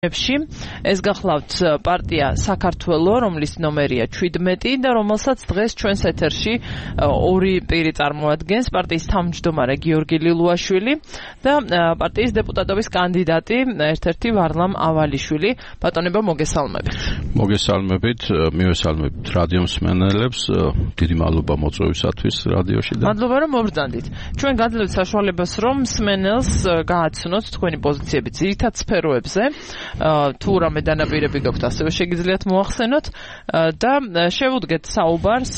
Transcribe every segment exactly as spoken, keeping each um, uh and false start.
ეს გახლავთ პარტია საქართველო, რომლის ნომერია ჩვიდმეტი და რომელსაც დღეს ჩვენს ეთერში ორი პირი წარმოადგენს, პარტიის თავმჯდომარე გიორგი ლილუაშვილი და პარტიის დეპუტატობის კანდიდატი ერთ-ერთი ვარლამ ავალიშვილი. ბატონებო, მოგესალმებით. მოგესალმებით, მივესალმებით რადიო მსმენელებს, დიდი მადლობა მოწვევისათვის რადიოში და მადლობა რომ მობრძანდით. ჩვენ გადავდივართ საშუალებას რომ მსმენელს გააცნოთ თქვენი პოზიციები ძირითად სფეროებზე. თუ რამე დანაპირები გაქვთ, ასევე შეგიძლიათ მოახსენოთ და შევუდგეთ საუბარს.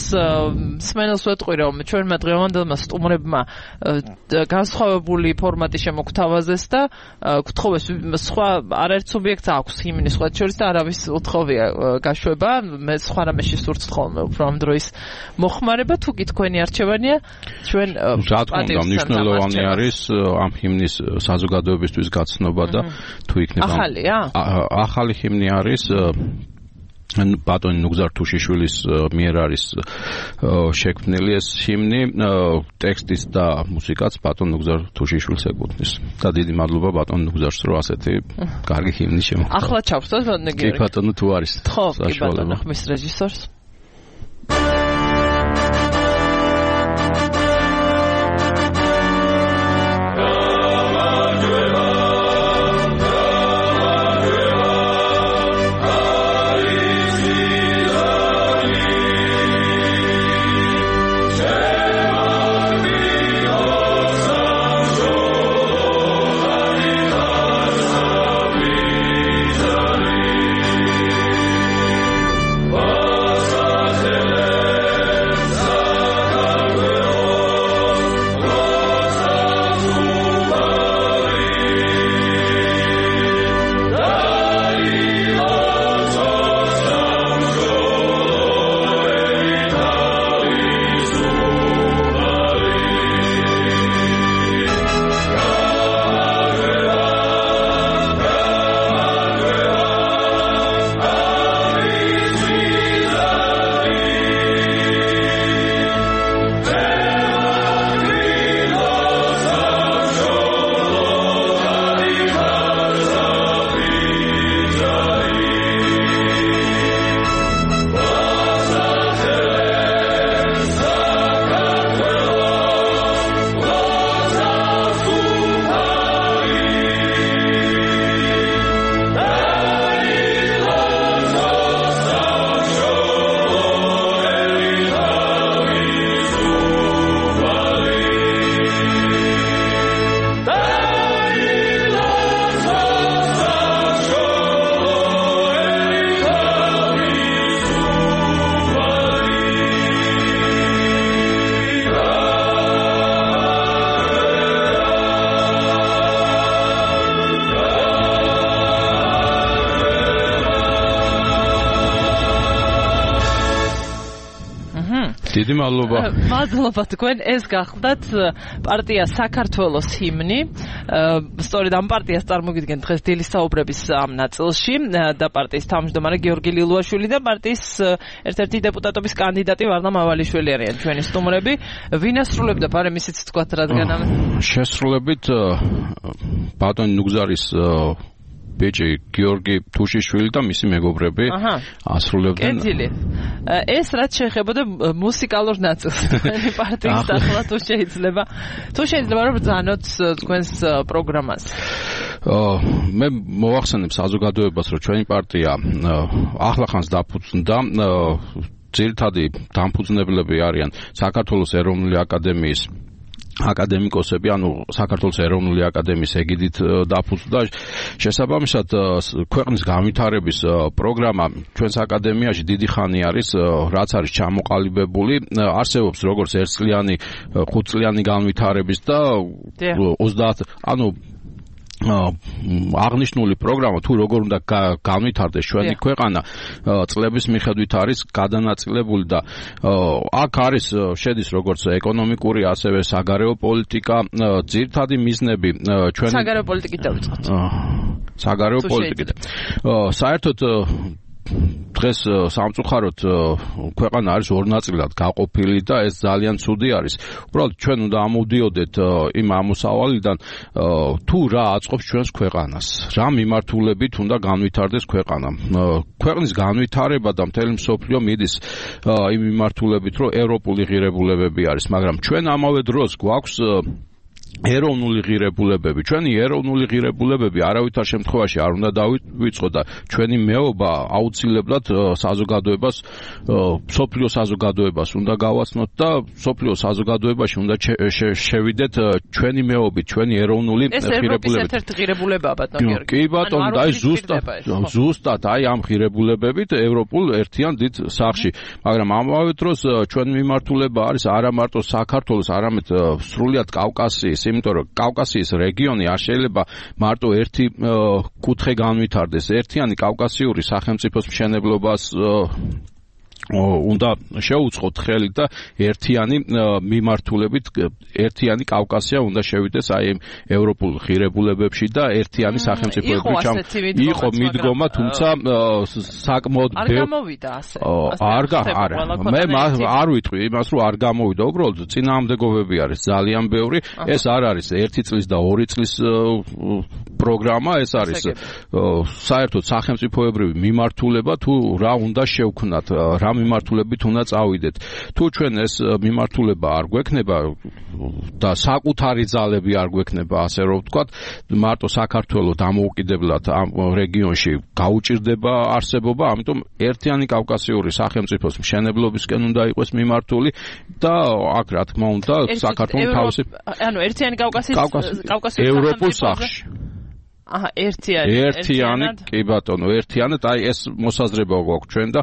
მსმენელს ვეტყვი რომ ჩვენმა დღევანდელმა სტუმრებმა განსხვავებული ფორმატი შემოგთავაზეს და გთხოვეს სხვა არაერთ სუბიექტს აქვს ჰიმნი სხვა შორის და არავის უთხოვია გაშვება. მე სხვა რამეში სურთ ხოლმე უფრო ამ დროის მოხმარება. თუ კი თქვენი არჩევანია, ჩვენ რა თქმა უნდა მნიშვნელოვანი არის ამ ჰიმნის საზოგადოებისთვის გაცნობა და თუ იქნება ახალია ახალი ჰიმნი არის ბატონი ნუგზარ თუშიშვილის მიერ არის შექმნილი ეს ჰიმნი, ტექსტის და მუსიკაც ბატონ ნუგზარ თუშიშვილს ეკუთვნის. და დიდი მადლობა ბატონ ნუგზარს, რომ ასეთი კარგი ჰიმნი შემოგვთავაზა. ახლა ჩავხსოვთ ბატონო გიორგი. კი ბატონო, თუ არის. ხო, კი ბატონო, ხმის რეჟისორს. დიდი მადლობა. მადლობა თქვენ. ეს გახლდათ პარტია საქართველოს ჰიმნი. სწორედ ამ პარტიას წარმოგიდგენთ დღეს დილის საუბრების ამ ნაწილში და პარტიის თავმჯდომარე გიორგი ლილუაშვილი და პარტიის ერთ-ერთი დეპუტატობის კანდიდატი ვარლამ ავალიშვილი არიან ჩვენი სტუმრები. ვინ ასრულებდა ბარემ ისიც თქვათ რადგან ამ შესრულებით ბატონი ნუგზარის ბეჭი გიორგი თუშიშვილი და მისი მეგობრები ასრულებდნენ. კეთილი. ეს რაც შეეხებოდა მუსიკალურ ნაწილს თქვენი პარტიის ახლა თუ შეიძლება თუ შეიძლება რომ ბრძანოთ თქვენს პროგრამას. მე მოვახსენებ საზოგადოებას, რომ ჩვენი პარტია ახლახანს დაფუძნდა. ძირითადი დამფუძნებლები არიან საქართველოს ეროვნული აკადემიის აკადემიკოსები, ანუ საქართველოს ეროვნული აკადემიის ეგიდით დაფუძნდა. შესაბამისად, ქვეყნის განვითარების პროგრამა ჩვენს აკადემიაში დიდი ხანი არის, რაც არის ჩამოყალიბებული. არსებობს როგორც ერთწლიანი, ხუთწლიანი განვითარების და ოცდაათ, ანუ აღნიშნული პროგრამა თუ როგორ უნდა განვითარდეს ჩვენი ქვეყანა წლების მიხედვით არის გადანაწილებული და აქ არის შედის როგორც ეკონომიკური ასევე საგარეო პოლიტიკა ძირითადი მიზნები ჩვენ საგარეო პოლიტიკით დავიწყოთ საგარეო პოლიტიკით საერთოდ დღეს სამწუხაროდ ქვეყანა არის ორ ნაწილად გაყოფილი და ეს ძალიან ცუდი არის. უბრალოდ ჩვენ უნდა ამოვდიოდეთ იმ ამოსავალიდან თუ რა აწყობს ჩვენს ქვეყანას, რა მიმართულებით უნდა განვითარდეს ქვეყანა. ქვეყნის განვითარება და მთელი მსოფლიო მიდის იმ მიმართულებით, რომ ევროპული ღირებულებები არის, მაგრამ ჩვენ ამავე დროს გვაქვს ეროვნული ღირებულებები. ჩვენი ეროვნული ღირებულებები არავითარ შემთხვევაში არ უნდა დავიწყო და ჩვენი მეობა აუცილებლად საზოგადოებას, მსოფლიო საზოგადოებას უნდა გავაცნოთ და მსოფლიო საზოგადოებაში უნდა შევიდეთ ჩვენი მეობით, ჩვენი ეროვნული ღირებულებებით. ეს ევროპის ერთ-ერთი ღირებულებაა, ბატონო გიორგი. კი ბატონო, და აი ზუსტად ზუსტად აი ამ ღირებულებებით ევროპულ ერთიან დიდ სახლში. მაგრამ ამავე დროს ჩვენი მიმართულება არის არა მარტო საქართველოს, არამედ სრულიად კავკასიის, იმიტომ რომ კავკასიის რეგიონი არ შეიძლება მარტო ერთი კუთხე განვითარდეს. ერთიანი კავკასიური სახელმწიფოს მშენებლობას უნდა შეუწყოთ ხელი და ერთიანი მიმართულებით ერთიანი კავკასია უნდა შევიდეს აი ევროპულ ღირებულებებში და ერთიანი სახელმწიფოები იყო მიდგომა, თუმცა საკმაოდ არ გამოვიდა ასე. არ არა, მე არ ვიტყვი იმას, რომ არ გამოვიდა, უბრალოდ წინააღმდეგობები არის ძალიან ბევრი. ეს არ არის ერთი წლის და ორი წლის პროგრამა, ეს არის საერთოდ სახელმწიფოებრივი მიმართულება, თუ რა უნდა შევქნათ, რა მიმართულებით უნდა წავიდეთ. თუ ჩვენ ეს მიმართულება არ გვექნება და საკუთარი ძალები არ გვექნება, ასე რომ ვთქვათ, მარტო საქართველოს დამოუკიდებლად ამ რეგიონში გაუჭირდება არსებობა, ამიტომ ერთიანი კავკასიური სახელმწიფოს მშენებლობისკენ უნდა იყოს მიმართული და აქ რა თქმა უნდა საქართველოს თავისი ანუ ერთიანი კავკასიის კავკასიის ევროპულ სახლში. აჰა, ერთიანი ერთიანი, კი ბატონო, ერთიანად, აი ეს მოსაზრება გვაქვს ჩვენ და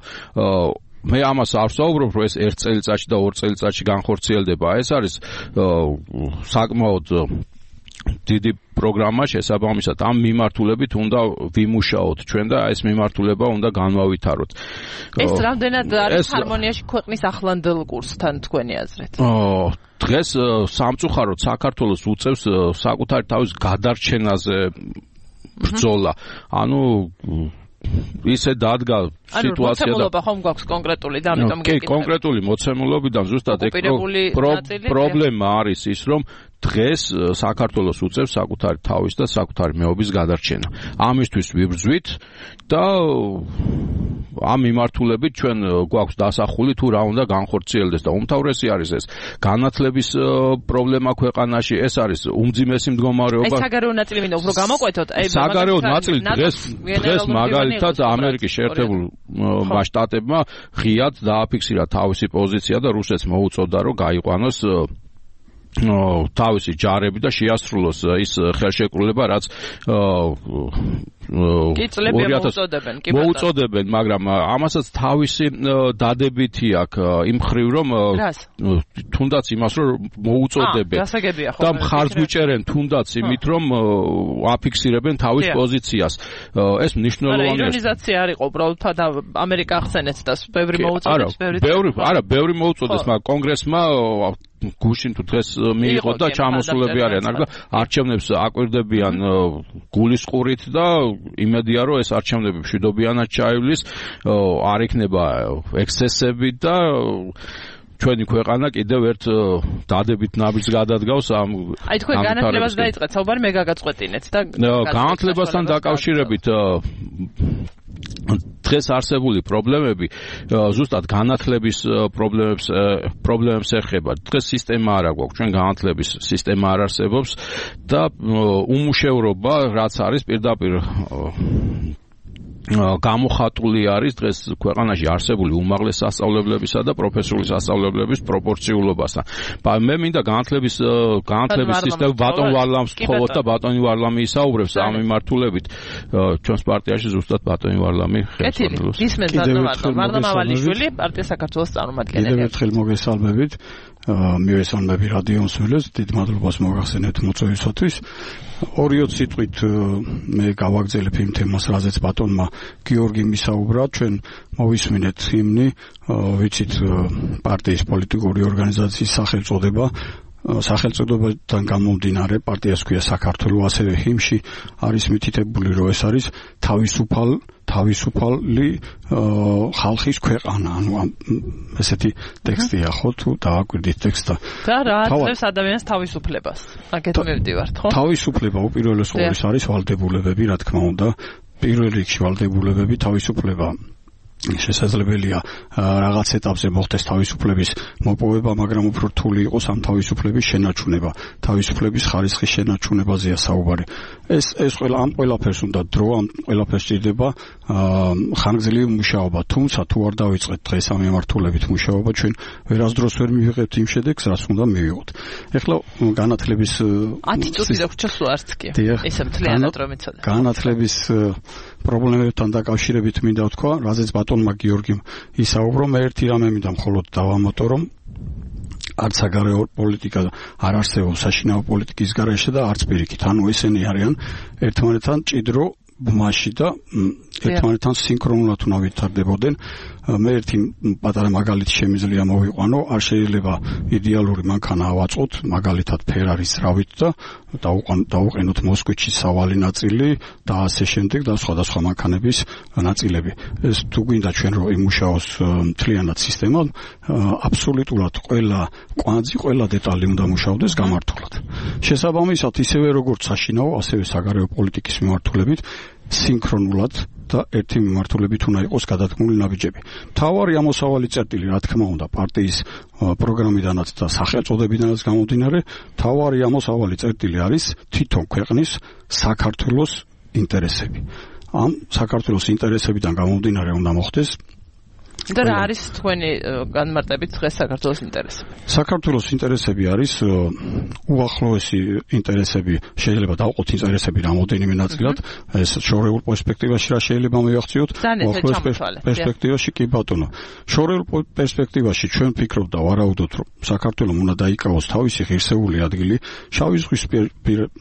მე ამას არ ვსაუბრობ, რომ ეს ერთ წელიწადში და ორ წელიწადში განხორციელდება. ეს არის საკმაოდ დიდი პროგრამა, შესაბამისად ამ მიმართულებით უნდა ვიმუშაოთ ჩვენ და ეს მიმართულება უნდა განვავითაროთ. ეს რამდენად არის ჰარმონიაში ქვეყნის ახლანდელ კურსთან თქვენი აზრით? დღეს სამწუხაროდ საქართველოს უწევს საკუთარი თავის გადარჩენაზე ბრძოლა. ანუ ისე დადგა სიტუაცია და მოცემულობა ხომ გვაქვს კონკრეტული და ამიტომ კი, კონკრეტული მოცემულობიდან ზუსტად პრობლემა არის ის, რომ დღეს საქართველოს უწევს საკუთარი თავის და საკუთარი მეობის გადარჩენა. ამისთვის ვიბრძვით და ამ მიმართულებით ჩვენ გვაქვს დასახული თუ რა უნდა განხორციელდეს და უმთავრესი არის ეს განათლების პრობლემა ქვეყანაში, ეს არის უმძიმესი მდგომარეობა. ეს საგარეო ნაწილი მინდა უფრო გამოკვეთოთ. საგარეო ნაწილი დღეს დღეს მაგალითად ამერიკის შეერთებულმა შტატებმა ღიად დააფიქსირა თავისი პოზიცია და რუსეთს მოუწოდა რომ გაიყვანოს თავისი ჯარები და შეასრულოს ის ხელშეკრულება, რაც მოუწოდებენ, მაგრამ ამასაც თავისი დადებითი აქვს იმ ხრივ, რომ თუნდაც იმას რომ მოუწოდებენ და მხარს გვიჭერენ თუნდაც იმით, რომ აფიქსირებენ თავის პოზიციას. ეს მნიშვნელოვანია. ირონიზაცია არ იყო, უბრალოდ და ამერიკა ახსენეთ და ბევრი მოუწოდებს, ბევრი არა, ბევრი მოუწოდეს, მაგრამ კონგრესმა გუშინ თუ დღეს მიიღო და ჩამოსულები არიან, მაგრამ არჩევნებს აკვირდებიან გულისყურით და იმედია რომ ეს არჩევნები მშვიდობიანად ჩაივლის, არ იქნება ექსცესები და ჩვენი ქვეყანა კიდევ ერთ დადებით ნაბიჯს გადადგავს ამ აი თქვენ განათლებას დაიწყეთ საუბარი, მე გაგაწყვეტინეთ და განათლებასთან დაკავშირებით დღეს არსებული პრობლემები ზუსტად განათლების პრობლემებს პრობლემებს ეხება. დღეს სისტემა არ აქვს, ჩვენ განათლების სისტემა არ არსებობს და უმუშევრობა რაც არის პირდაპირ გამოხატული არის დღეს ქვეყანაში არსებული უმაღლეს სასწავლებლებისა და პროფესიული სასწავლებლების პროპორციულობასთან. მე მინდა განათლების განათლების სისტემა ბატონ ვარლამს თხოვოთ და ბატონი ვარლამი ისაუბრებს ამ მიმართულებით. ჩვენს პარტიაში ზუსტად ბატონი ვარლამი ხელმძღვანელობს. ისმენთ ბატონ ვარლამ ავალიშვილი, პარტია საქართველოს წარმომადგენელი. კიდევ ერთხელ მოგესალმებით. მივესალმები რადიო მსმენელს, დიდ მადლობას მოგახსენებთ მოწვევისათვის. ორიო სიტყვით მე გავაგრძელებ იმ თემას, რაზეც ბატონმა გიორგი მისაუბრა. ჩვენ მოვისმინეთ ჰიმნი, ვიცით პარტიის პოლიტიკური ორგანიზაციის სახელწოდება. სახელწოდებიდან გამომდინარე პარტიას ქვია საქართველო, ასევე ჰიმში არის მითითებული, რომ ეს არის თავისუფალ თავისუფალი ხალხის ქვეყანა, ანუ ესეთი ტექსტია ხო თუ დავაკვირდით ტექსტა. და რა აწევს ადამიანს თავისუფლებას? აგეთ მივდივართ, ხო? თავისუფლება უპირველეს ყოვლისა არის ვალდებულებები, რა თქმა უნდა. პირველ რიგში ვალდებულებები, თავისუფლება შესაძლებელია რაღაც ეტაპზე მოხდეს თავისუფლების მოპოვება, მაგრამ უფრო რთული იყოს ამ თავისუფლების შენარჩუნება, თავისუფლების ხარისხის შენარჩუნებაზეა საუბარი. ეს ეს ყველა ამ ყველაფერს უნდა დრო, ამ ყველაფერს ჭირდება ხანგრძლივი მუშაობა. თუმცა თუ არ დავიწყეთ დღეს ამ მიმართულებით მუშაობა, ჩვენ ვერასდროს ვერ მივიღებთ იმ შედეგს, რაც უნდა მივიღოთ. ეხლა განათლების ათი წუთი დაგვრჩა სულ არც კი. ესე მთლიანად რომ იცოდე. განათლების პრობლემებთან დაკავშირებით მინდა ვთქვა, რაზეც ბატონმა გიორგიმ ისაუბრო, მე ერთი რამე მინდა მხოლოდ დავამატო, რომ არც საგარეო პოლიტიკა არ არსებობს საშინაო პოლიტიკის გარეშე და არც პირიქით. ანუ ესენი არიან ერთმანეთთან ჭიდრო ბმაში და ერთმანეთთან სინქრონულად უნდა ვითარდებოდნენ. მე ერთი პატარა მაგალითი შემიძლია მოვიყვანო, არ შეიძლება იდეალური მანქანა ავაწყოთ, მაგალითად ფერარის რავით და დავუყენოთ მოსკვიჩი სავალი ნაწილი და ასე შემდეგ და სხვადასხვა მანქანების ნაწილები. ეს თუ გვინდა ჩვენ რომ იმუშაოს მთლიანად სისტემა, აბსოლუტურად ყველა კვანძი, ყველა დეტალი უნდა მუშაობდეს გამართულად. შესაბამისად, ისევე როგორც საშინაო, ასევე საგარეო პოლიტიკის მიმართულებით სინქრონულად და ერთი მიმართულებით უნდა იყოს გადადგმული ნაბიჯები. მთავარი ამოსავალი წერტილი, რა თქმა უნდა, პარტიის პროგრამიდანაც და სახელწოდებიდანაც გამომდინარე, მთავარი ამოსავალი წერტილი არის თვითონ ქვეყნის საქართველოს ინტერესები. ამ საქართველოს ინტერესებიდან გამომდინარე უნდა მოხდეს და რა არის თქვენი განმარტებით დღეს საქართველოს ინტერესები? საქართველოს ინტერესები არის უახლოესი ინტერესები, შეიძლება დავყოთ ინტერესები რამოდენიმე ნაწილად, ეს შორეულ პერსპექტივაში რა შეიძლება მივახციოთ, უახლოეს პერსპექტივაში კი ბატონო. შორეულ პერსპექტივაში ჩვენ ვფიქრობ და ვარაუდობთ, რომ საქართველოს უნდა დაიკავოს თავისი ღირსეული ადგილი შავი ზღვის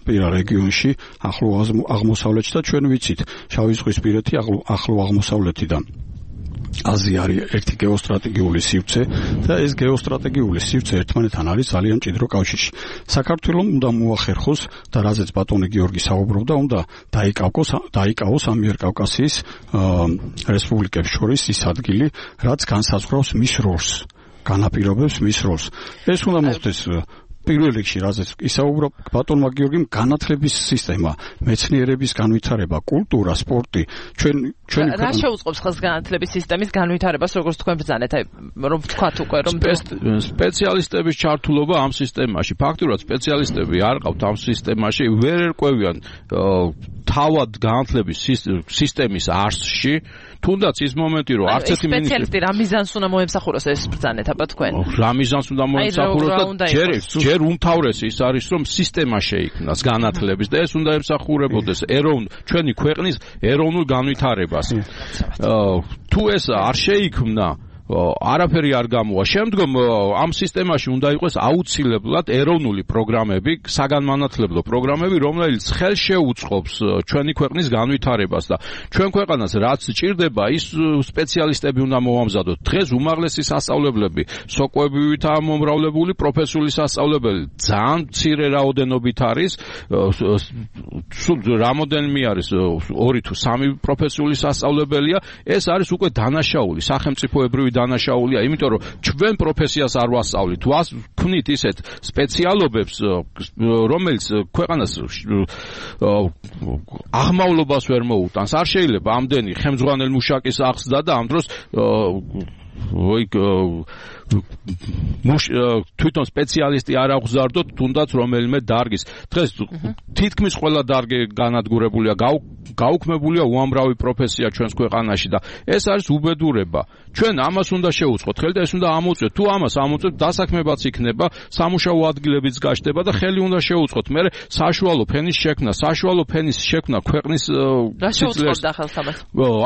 პირა რეგიონში, ახლო აღმოსავლეთში და ჩვენ ვიცით, შავი ზღვის პირეთი ახლო აღმოსავლეთიდან აზია არის ერთი გეოსტრატეგიული სივრცე და ეს გეოსტრატეგიული სივრცე ერთმანეთთან არის ძალიან ჭიდრო კავშირში. საქართველოს უნდა მოახერხოს და რაზეც ბატონი გიორგი საუბრობდა, უნდა დაიკავოს დაიკავოს ამიერკავკასიის რესპუბლიკებს შორის ის ადგილი, რაც განსაზღვრავს მის როლს, განაპირობებს მის როლს. ეს უნდა მოხდეს პირველ რიგში, რაზეც ისაუბრა ბატონმა გიორგიმ, განათლების სისტემა, მეცნიერების განვითარება, კულტურა, სპორტი, ჩვენ ჩვენი რა შეუწყობს ხელს განათლების სისტემის განვითარებას, როგორც თქვენ ბრძანეთ, აი რომ ვთქვათ უკვე, რომ სპეციალისტების ჩართულობა ამ სისტემაში, ფაქტურად სპეციალისტები არ ყავთ ამ სისტემაში, ვერ ერკვევიან თავად განათლების სისტემის არსში, თუნდაც ის მომენტი, რომ არც ერთი მინისტრი სპეციალისტი რა მიზანს უნდა მოემსახუროს ეს ბრძანეთ აბა თქვენ? რა მიზანს უნდა მოემსახუროს და ჯერ ჯერ უმთავრესი ის არის, რომ სისტემა შეიქმნას განათლების და ეს უნდა ემსახურებოდეს ეროვნ ჩვენი ქვეყნის ეროვნულ განვითარებას. თუ ეს არ შეიქმნა, არაფერი არ გამოვა. შემდგომ ამ სისტემაში უნდა იყოს აუცილებლად ეროვნული პროგრამები, საგანმანათლებლო პროგრამები, რომელიც ხელს შეუწყობს ჩვენი ქვეყნის განვითარებას და ჩვენ ქვეყანას რაც ჭირდება, ის სპეციალისტები უნდა მოვამზადოთ. დღეს უმაღლესი სასწავლებლები, სოკოებივითაა მომრავლებული პროფესიული სასწავლებელი, ძალიან მცირე რაოდენობით არის, სულ რამოდენიმე არის, ორი თუ სამი პროფესიული სასწავლებელია, ეს არის უკვე დანაშაული, სახელმწიფოებრივი დანაშაულია, იმიტომ რომ ჩვენ პროფესიას არ ვასწავლით, ვქვნით ისეთ სპეციალობებს, რომელიც ქვეყანას აღმავლობას ვერ მოუტანს. არ შეიძლება ამდენი ხელმძღვანელ მუშაკის აღზრდა და ამ დროს თვითონ სპეციალისტი არ აღზარდოთ, თუნდაც რომელიმე დარგის. დღეს თითქმის ყველა დარგი განადგურებულია, გაუქმებულია უამრავი პროფესია ჩვენს ქვეყანაში და ეს არის უბედურება. ჩვენ ამას უნდა შევუწყოთ ხელი და ეს უნდა ამოწევთ. თუ ამას ამოწევთ, დასაქმებაც იქნება, სამუშაო ადგილებიც გაჩნდება და ხელი უნდა შევუწყოთ. მე საშუალო ფენის შექმნა, საშუალო ფენის შექმნა ქვეყნის რა შეუწყობდა ხელს ამას?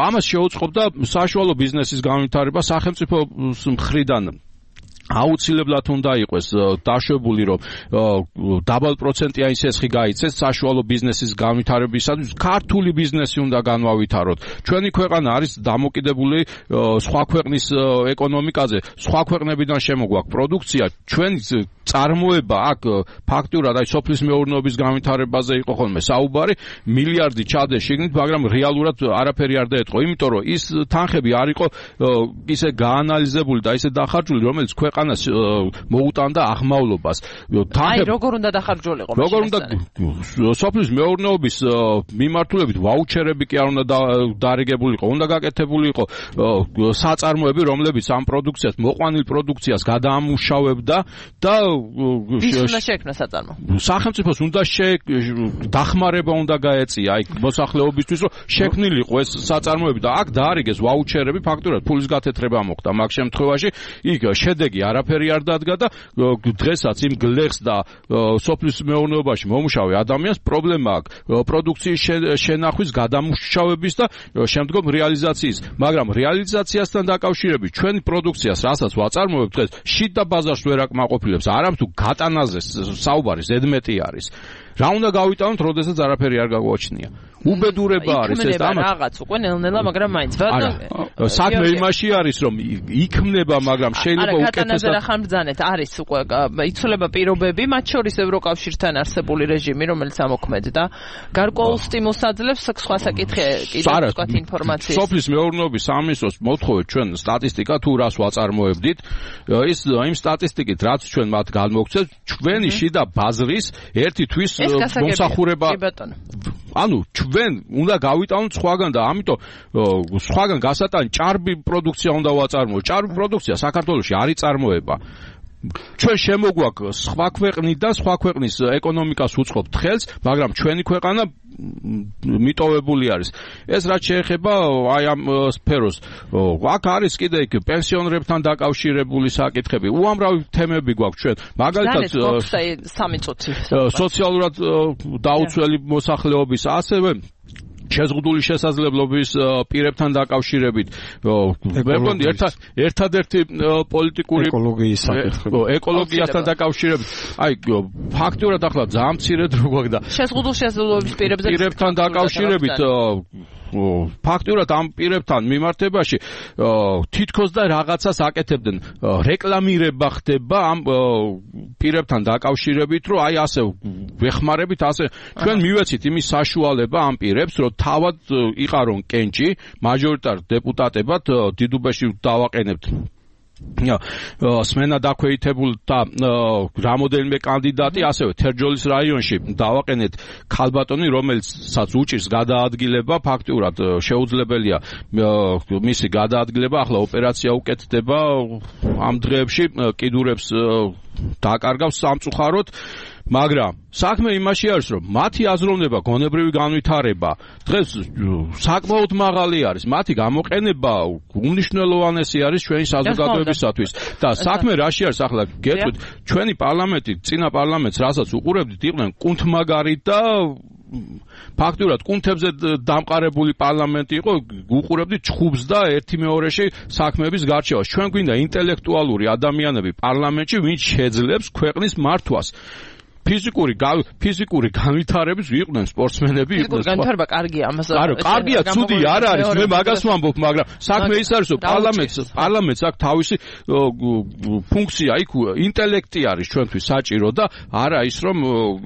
ამას შეუწყობდა საშუალო ბიზნესის განვითარება სახელმწიფოს მხრიდან. აუცილებლად უნდა იყოს დაშვებული, რომ დაბალ პროცენტიან სესხი გაიცეს საშუალო ბიზნესის განვითარებისათვის, ქართული ბიზნესი უნდა განვავითაროთ. ჩვენი ქვეყანა არის დამოკიდებული სხვა ქვეყნის ეკონომიკაზე, სხვა ქვეყნებიდან შემოგვაქვს პროდუქცია, ჩვენი წარმოება აქ ფაქტურად აი სოფლის მეურნეობის განვითარებაზე იყო ხოლმე საუბარი, მილიარდი ჩადეს შიგნით, მაგრამ რეალურად არაფერი არ დაეთყო, იმიტომ რომ ის თანხები არ იყო ისე გაანალიზებული და ისე დახარჯული, რომელიც ქვეყანას მოუტანდა აღმავლობას. აი როგორ უნდა დახარჯულიყო? როგორ უნდა სოფლის მეურნეობის მიმართულებით ვაუჩერები კი არ უნდა დარიგებულიყო, უნდა გაკეთებულიყო საწარმოები, რომლებიც ამ პროდუქციას, მოყვანილ პროდუქციას გადაამუშავებდა და ვის უნდა შექმნა საწარმო? სახელმწიფოს უნდა დახმარება უნდა გაეწია აი მოსახლეობისთვის, რომ შექმნილიყო ეს საწარმოები და აქ დაარიგეს ვაუჩერები, ფაქტურად ფულის გათეთრება მოხდა მაგ შემთხვევაში, იქ შედეგი არაფერი არ დადგა და დღესაც იმ გლეხს და სოფლის მეურნეობაში მომუშავე ადამიანს პრობლემა აქვს პროდუქციის შენახვის, გადამუშავების და შემდგომ რეალიზაციის, მაგრამ რეალიზაციასთან დაკავშირებით ჩვენი პროდუქციას, რასაც ვაწარმოებთ დღეს, შიდ და ბაზარს ვერ აკმაყოფილებს, არამტუ გატანაზე საუბარი ზედმეტი არის. რა უნდა გავიტანოთ, როდესაც არაფერი არ გაგვაჩნია. უბედურება არის ეს და რაღაც უკვე ნელ-ნელა, მაგრამ მაინც არა. საქმე იმაში არის, რომ იქმნება, მაგრამ შეიძლება უკეთესად არა ხანბრძანეთ, არის უკვე იცვლება პირობები, მათ შორის ევროკავშირთან არსებული რეჟიმი, რომელიც ამოქმედდა, გარკვეულ სტიმულს აძლევს სხვა საკითხი კიდევ თქვათ ინფორმაციის. სოფლის მეურნეობის სამინისტროს მოთხოვეთ ჩვენ სტატისტიკა თუ რას ვაწარმოებდით, ის იმ სტატისტიკით რაც ჩვენ მათ განმოგცეთ, ჩვენი შიდა ბაზრის ერთი თვის მომსახურება. ანუ ჩვენ უნდა გავიტანოთ სხვაგან და ამიტომ სხვაგან გასატანი ჭარბი პროდუქცია უნდა ვაწარმოოთ. ჭარბი პროდუქცია საქართველოში არ იწარმოება. ჩვენ შემოგვაქვს სხვა ქვეყნიდან, სხვა ქვეყნის ეკონომიკას უწყობთ ხელს, მაგრამ ჩვენი ქვეყანა მიტოვებული არის. ეს რაც შეეხება აი ამ სფეროს, აქ არის კიდე იქ პენსიონერებთან დაკავშირებული საკითხები, უამრავი თემები გვაქვს ჩვენ. მაგალითად სამი წუთი სოციალურად დაუცველი მოსახლეობის, ასევე შეზღუდული შესაძლებლობის პირებთან დაკავშირებით. მე მგონი ერთადერთი პოლიტიკური ეკოლოგიის საკითხები, ეკოლოგიასთან დაკავშირებით. აი ფაქტურად ახლა ძალიან მცირე დრო გვაქვს და შეზღუდული შესაძლებლობის პირებთან დაკავშირებით ფაქტურად ამ პირებთან მიმართებაში თითქოს და რაღაცას აკეთებდნენ, რეკლამირება ხდება ამ პირებთან დაკავშირებით, რომ აი ასე ვეხმარებით, ასე ჩვენ მივეცით იმის საშუალება ამ პირებს, რომ თავად იყარონ კენჭი მაჟორიტარ დეპუტატებად დიდუბეში დავაყენებთ სმენა დაქვეითებულ და რამოდენიმე კანდიდატი, ასევე თერჯოლის რაიონში დავაყენეთ ქალბატონი, რომელსაც უჭირს გადაადგილება, ფაქტურად შეუძლებელია მისი გადაადგილება, ახლა ოპერაცია უკეთდება ამ დღეებში, კიდურებს დაკარგავს სამწუხაროდ. მაგრამ საქმე იმაში არის, რომ მათი აზროვნება, გონებრივი განვითარება დღეს საკმაოდ მაღალი არის. მათი გამოყენება უმნიშვნელოვანესი არის ჩვენი საზოგადოებისათვის. და საქმე რაში არის ახლა გეტყვით, ჩვენი პარლამენტი, წინა პარლამენტს, რასაც უყურებდით, იყვნენ კუნთმაგარი და ფაქტურად კუნთებზე დამყარებული პარლამენტი იყო, უყურებდით ჩხუბს და ერთი მეორეში საქმეების გარჩევას. ჩვენ გვინდა ინტელექტუალური ადამიანები პარლამენტში, ვინც შეძლებს ქვეყნის მართვას. ფიზიკური ფიზიკური განვითარების იყვნენ სპორტსმენები, იყვნენ. ფიზიკური განვითარება კარგია, ამას არა, კარგია, ცუდი არ არის, მე მაგას ვამბობ, მაგრამ საქმე ის არის, რომ პარლამენტს პარლამენტს აქვს თავისი ფუნქცია, იქ ინტელექტი არის ჩვენთვის საჭირო და არა ის, რომ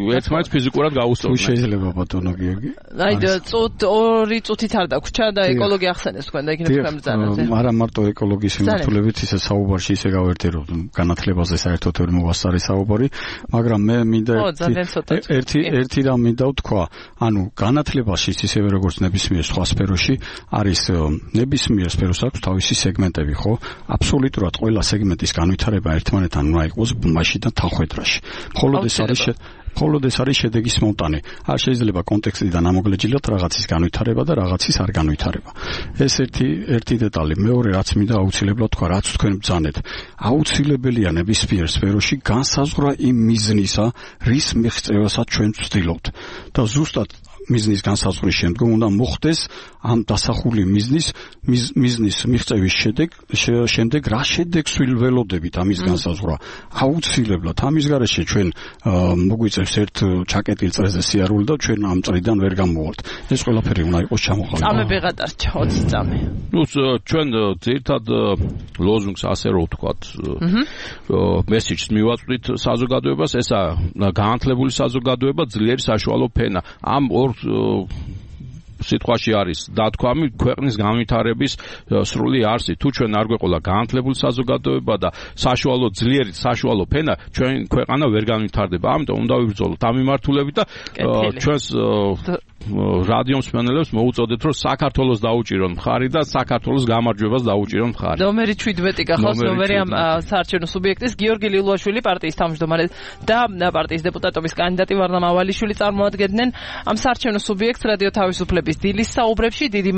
ერთმანეთს ფიზიკურად გაუსწორდეს. შეიძლება ბატონო გიორგი. აი წუთ ორი წუთით არ დაგვრჩა და ეკოლოგია ახსენეს თქვენ და იქნებ გამძანაზე. არა მარტო ეკოლოგიის მიმართულებით, ისე საუბარში ისე გავერთეროთ განათლებაზე საერთოდ ვერ მოვასწარი საუბარი, მაგრამ მე ერთი ერთი რამ მინდა ვთქვა, ანუ განათლებაში ისევე როგორც ნებისმიერ სხვა სფეროში არის ნებისმიერ სფეროს აქვს თავისი სეგმენტები, ხო? აბსოლუტურად ყველა სეგმენტის განვითარება ერთმანეთთან უნდა იყოს მაშინდან თანხვედრაში. მხოლოდ ეს არის მხოლოდ ეს არის შედეგის მომტანი. არ შეიძლება კონტექსტიდან ამოგლეჯილოთ რაღაცის განვითარება და რაღაცის არ განვითარება. ეს ერთი ერთი დეტალი. მეორე რაც მინდა აუცილებლად თქვა, რაც თქვენ ბრძანეთ. აუცილებელია ნებისმიერ სფეროში განსაზღვრა იმ მიზნისა, რის მიღწევასაც ჩვენ ვცდილობთ. და ზუსტად მიზნის განსაზღვრის შემდგომ უნდა მოხდეს ამ დასახული მიზნის მიზნის მიღწევის შედეგ შემდეგ რა შედეგს ველოდებით ამის განსაზღვრა აუცილებლად ამის გარეშე ჩვენ მოგვიწევს ერთ ჩაკეტილ წრეზე სიარული და ჩვენ ამ წრიდან ვერ გამოვართ ეს ყველაფერი უნდა იყოს ჩამოყალიბებული წამები გადარჩა ოცი წამი ნუ ჩვენ ძირითად ლოზუნგს ასე რო ვთქვათ მესიჯს მივაწვდით საზოგადოებას ესა განათლებული საზოგადოება ძლიერი საშუალო ფენა ამ ორ სიტყვაში არის დათქვამი ქვეყნის განვითარების სრული არსი თუ ჩვენ არ გვეყოლა განათლებული საზოგადოება და საშუალო ძლიერი საშუალო ფენა ჩვენ ქვეყანა ვერ განვითარდება ამიტომ უნდა ვიბრძოლოთ ამ მიმართულებით და ჩვენს რადიო მსმენელებს მოუწოდეთ რომ საქართველოს დაუჭირონ მხარი და საქართველოს გამარჯვებას დაუჭირონ მხარი. ნომერი შვიდმეტი გახავს ნომერი ამ საარჩევნო სუბიექტის გიორგი ლილუაშვილი პარტიის თავმჯდომარე და პარტიის დეპუტატობის კანდიდატი ვარნა მავალიშვილი წარმოადგენდნენ ამ საარჩევნო სუბიექტს რადიო თავისუფლების დილის საუბრებში დიდი